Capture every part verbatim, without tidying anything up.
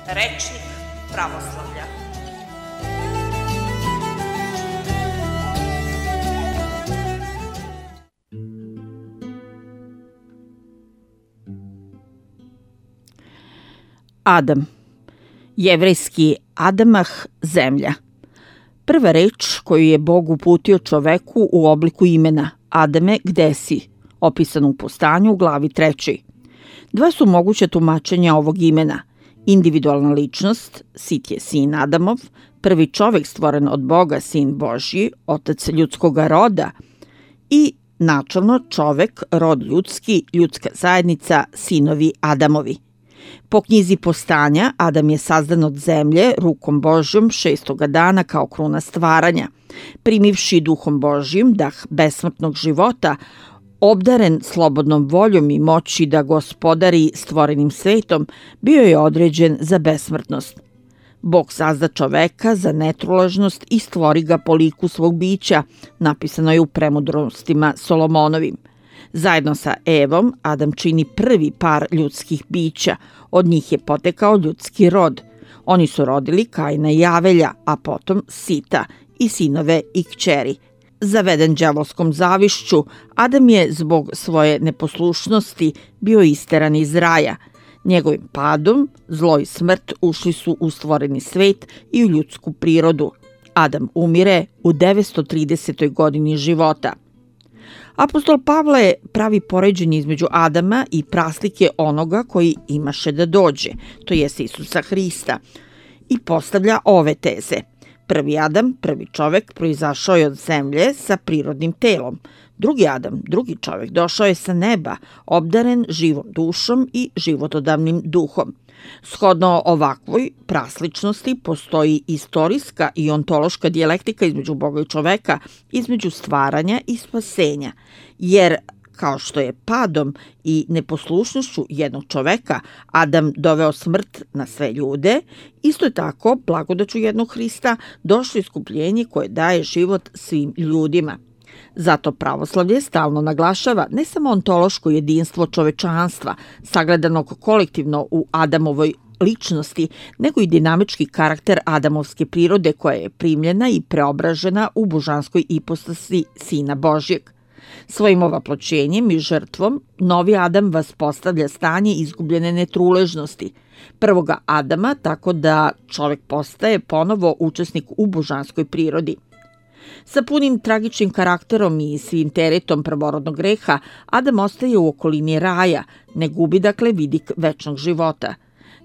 Rečnik pravoslavlja. Adam. Jevrejski Adamah, zemlja. Prva reč koju je Bog uputio čoveku u obliku imena Adame, gde si, opisano u Postanju u glavi trećoj. Dva su moguća tumačenja ovog imena. Individualna ličnost, Sit je sin Adamov, prvi čovek stvoren od Boga, sin Božji, otac ljudskog roda, i načalno čovek, rod ljudski, ljudska zajednica, sinovi Adamovi. Po knjizi Postanja, Adam je sazdan od zemlje rukom Božjom šestoga dana kao kruna stvaranja. Primivši duhom Božjim dah besmrtnog života, obdaren slobodnom voljom i moći da gospodari stvorenim svetom, bio je određen za besmrtnost. Bog sazda čoveka za netruležnost i stvori ga po liku svog bića, napisano je u Premudrostima Solomonovim. Zajedno sa Evom, Adam čini prvi par ljudskih bića, od njih je potekao ljudski rod. Oni su rodili Kaina i Avelja, a potom Sita i sinove i kćeri. Zaveden đavolskom zavišću, Adam je zbog svoje neposlušnosti bio isteran iz raja. Njegovim padom, zlo i smrt ušli su u stvoreni svet i u ljudsku prirodu. Adam umire u devetsto tridesetoj godini života. Apostol Pavle pravi poređenje između Adama i praslike onoga koji imaše da dođe, to jest Isusa Hrista, i postavlja ove teze. Prvi Adam, prvi čovek, proizašao je od zemlje sa prirodnim telom. Drugi Adam, drugi čovek, došao je sa neba, obdaren živom dušom i životodavnim duhom. Shodno ovakvoj prasličnosti postoji istorijska i ontološka dijalektika između Boga i čoveka, između stvaranja i spasenja, jer kao što je padom i neposlušnošću jednog čoveka Adam doveo smrt na sve ljude, isto je tako blagodaću jednog Hrista došlo iskupljenje koje daje život svim ljudima. Zato pravoslavlje stalno naglašava ne samo ontološko jedinstvo čovečanstva, sagledanog kolektivno u Adamovoj ličnosti, nego i dinamički karakter adamovske prirode koja je primljena i preobražena u božanskoj ipostasi Sina Božjeg. Svojim ovaploćenjem i žrtvom, novi Adam vaspostavlja stanje izgubljene netruležnosti. Prvoga Adama, tako da čovek postaje ponovo učesnik u božanskoj prirodi. Sa punim tragičnim karakterom i svim teretom prvorodnog greha, Adam ostaje u okolini raja, ne gubi dakle vidik večnog života.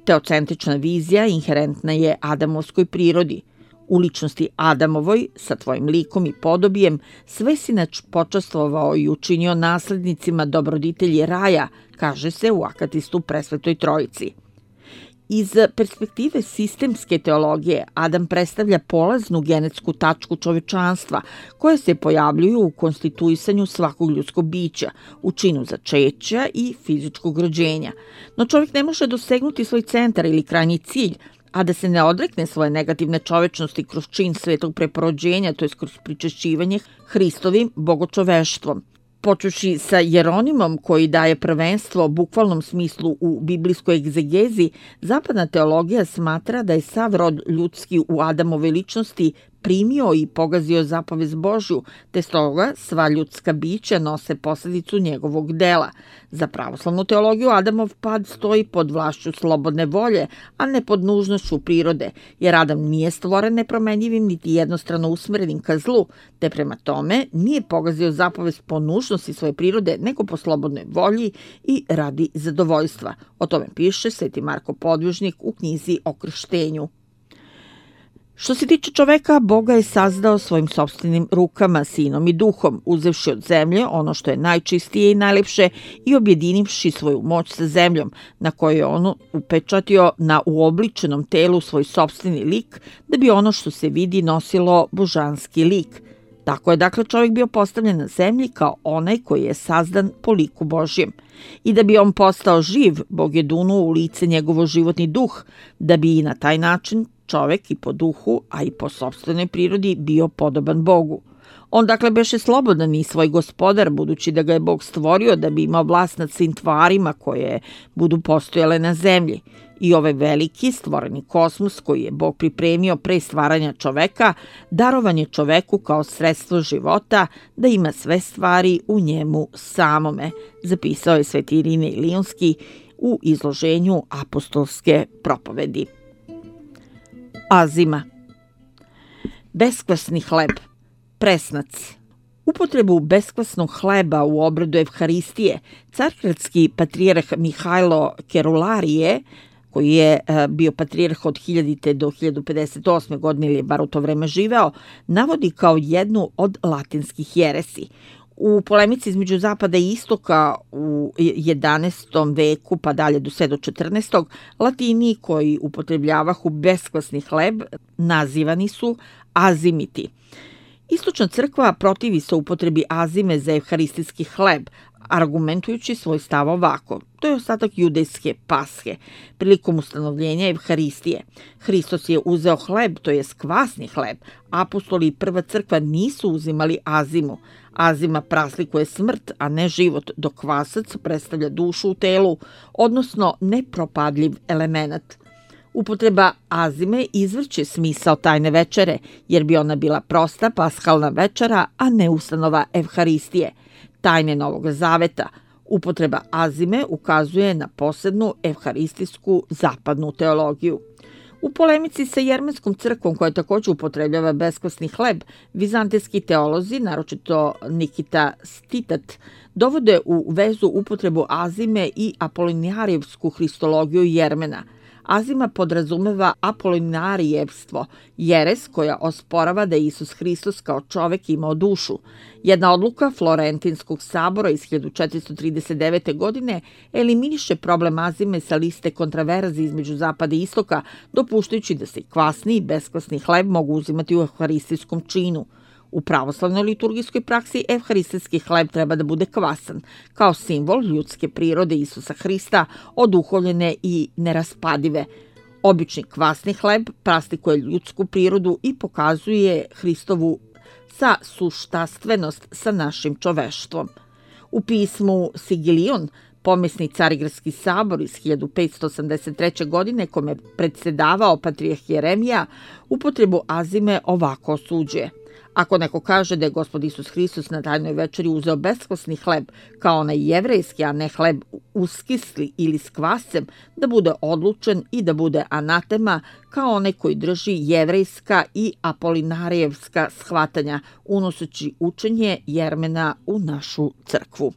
Teocentrična vizija inherentna je Adamovskoj prirodi. U ličnosti Adamovoj, sa tvojim likom i podobijem, sve si nač počastvovao i učinio naslednicima dobroditelji raja, kaže se u Akatistu Presvetoj Trojici. Iz perspektive sistemske teologije, Adam predstavlja polaznu genetsku tačku čovečanstva, koja se pojavljuju u konstituisanju svakog ljudskog bića, u činu začeća i fizičkog rođenja. No čovjek ne može dosegnuti svoj centar ili krajnji cilj, a da se ne odrekne svoje negativne čovečnosti kroz čin svetog preporođenja, to je kroz pričešćivanje Hristovim bogočoveštvom. Počuši sa Jeronimom koji daje prvenstvo bukvalnom smislu u biblijskoj egzegezi, zapadna teologija smatra da je sav rod ljudski u Adamove ličnosti primio i pogazio zapovest Božju, te stoga sva ljudska bića nose posljedicu njegovog dela. Za pravoslavnu teologiju Adamov pad stoji pod vlašću slobodne volje, a ne pod nužnošću prirode, jer Adam nije stvoren nepromenjivim niti jednostrano usmerenim ka zlu, te prema tome nije pogazio zapovest po nužnosti svoje prirode, nego po slobodnoj volji i radi zadovoljstva. O tome piše Sveti Marko Podvižnik u knjizi o krštenju. Što se tiče čoveka, Boga je sazdao svojim sopstvenim rukama, sinom i duhom, uzevši od zemlje ono što je najčistije i najlepše i objedinivši svoju moć sa zemljom, na kojoj je ono upečatio na uobličenom telu svoj sopstveni lik, da bi ono što se vidi nosilo božanski lik. Tako je dakle čovjek bio postavljen na zemlji kao onaj koji je sazdan po liku Božjem. I da bi on postao živ, Bog je dunuo u lice njegovo životni duh, da bi i na taj način čovek i po duhu, a i po sopstvenoj prirodi bio podoban Bogu. On dakle beše slobodan i svoj gospodar, budući da ga je Bog stvorio da bi imao vlast nad svim tvarima koje budu postojale na zemlji. I ovaj veliki stvoreni kosmos koji je Bog pripremio pre stvaranja čoveka, darovan je čoveku kao sredstvo života da ima sve stvari u njemu samome, zapisao je sveti Irinej Lionski u izloženju apostolske propovedi. Azima. Beskvasni hleb. Presnac. Upotrebu beskvasnog hleba u obredu Evharistije cargradski patrijarh Mihajlo Kerularije, koji je bio patrijarh od hiljadite do hiljadu pedeset osme godine ili je bar u to vreme živeo, navodi kao jednu od latinskih jeresi. U polemici između Zapada i Istoka u jedanaestom veku pa dalje do sve do četrnaestog. Latini koji upotrebljavahu beskvasni hleb nazivani su azimiti. Istočna crkva protivi se upotrebi azime za evharistijski hleb, argumentujući svoj stav ovako. To je ostatak judejske pashe. Prilikom ustanovljenja Evharistije, Hristos je uzeo hleb, to je kvasni hleb. Apostoli i prva crkva nisu uzimali azimu. Azima praslikuje smrt, a ne život, dok kvasac predstavlja dušu u telu, odnosno nepropadljiv element. Upotreba azime izvrće smisao tajne večere, jer bi ona bila prosta pashalna večera, a ne ustanova Evharistije. Tajne Novog Zaveta. Upotreba azime ukazuje na posebnu evharistijsku zapadnu teologiju. U polemici sa Jermenskom crkvom, koja također upotrebljava beskvasni hleb, vizantijski teolozi, naročito Nikita Stitat, dovode u vezu upotrebu azime i apolinarijevsku hristologiju Jermena. Azima podrazumeva apolinarijevstvo, jeres koja osporava da je Isus Hristos kao čovek imao dušu. Jedna odluka Florentinskog sabora iz hiljadu četiristo trideset devete. godine eliminiše problem azime sa liste kontraverzi između Zapada i Istoka, dopuštajući da se kvasni i beskvasni hleb mogu uzimati u evharistijskom činu. U pravoslavnoj liturgijskoj praksi evharistijski hleb treba da bude kvasan, kao simbol ljudske prirode Isusa Hrista, oduhovljene i neraspadive. Obični kvasni hleb praslikuje ljudsku prirodu i pokazuje Hristovu sa suštastvenost sa našim čoveštvom. U pismu Sigilion, pomesni Carigradski sabor iz hiljadu petsto osamdeset treće. godine, kome predsedavao patrijarh Jeremija, upotrebu azime ovako osuđuje. Ako neko kaže da je Gospod Isus Hristos na tajnoj večeri uzeo beskvasni hleb, kao onaj jevrejski, a ne hleb uskisli ili s kvascem, da bude odlučen i da bude anatema, kao onaj koji drži jevrejska i apolinarijevska shvatanja, unoseći učenje Jermena u našu crkvu.